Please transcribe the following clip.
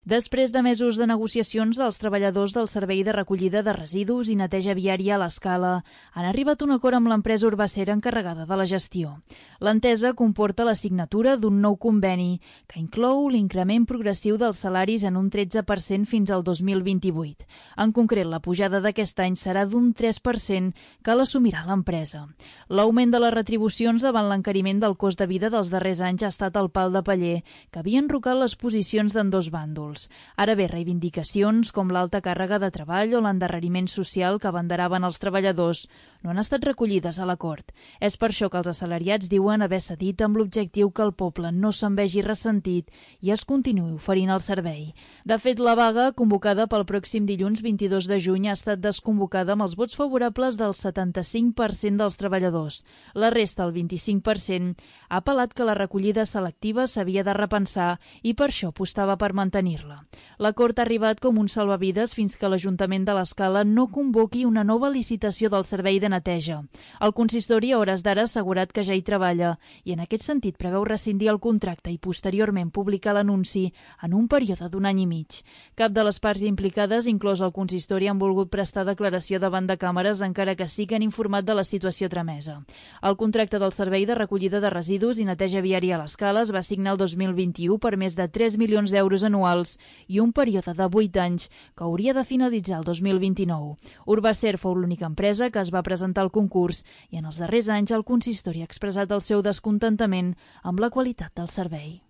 Després de mesos de negociacions, els treballadors del Servei de Recollida de Residus i Neteja Viària a l'Escala han arribat a un acord amb l'empresa Urbacera encarregada de la gestió. L'entesa comporta la signatura d'un nou conveni que inclou l'increment progressiu dels salaris en un 13% fins al 2028. En concret, la pujada d'aquest any serà d'un 3% que l'assumirà l'empresa. L'augment de les retribucions davant l'encariment del cost de vida dels darrers anys ha estat el pal de paller que havia enrocat les posicions d'ambdós bàndols. Ara bé, reivindicacions com l'alta càrrega de treball o l'endarreriment social que abanderaven els treballadors no han estat recollides a l'acord. És per això que els assalariats diuen haver cedit amb l'objectiu que el poble no se'n vegi ressentit i es continuï oferint el servei. De fet, la vaga, convocada pel pròxim dilluns 22 de juny, ha estat desconvocada amb els vots favorables del 75% dels treballadors. La resta, el 25%, ha apel·lat que la recollida selectiva s'havia de repensar i per això apostava per mantenir-la. L'acord ha arribat com un salvavides fins que l'Ajuntament de l'Escala no convoqui una nova licitació del servei de neteja. El consistori a hores d'ara ha assegurat que ja hi treballa i en aquest sentit preveu rescindir el contracte i posteriorment publicar l'anunci en un període d'un any i mig. Cap de les parts implicades, inclòs el consistori, han volgut prestar declaració davant de càmeres encara que sí que han informat de la situació tramesa. El contracte del Servei de Recollida de Residus i Neteja Viària a l'Escala es va signar el 2021 per més de 3 milions d'euros anuals i un període de 8 anys que hauria de finalitzar el 2029. Urbacer fou l'única empresa que es va presentar al concurs i en els darrers anys el consistori ha expressat el seu descontentament amb la qualitat del servei.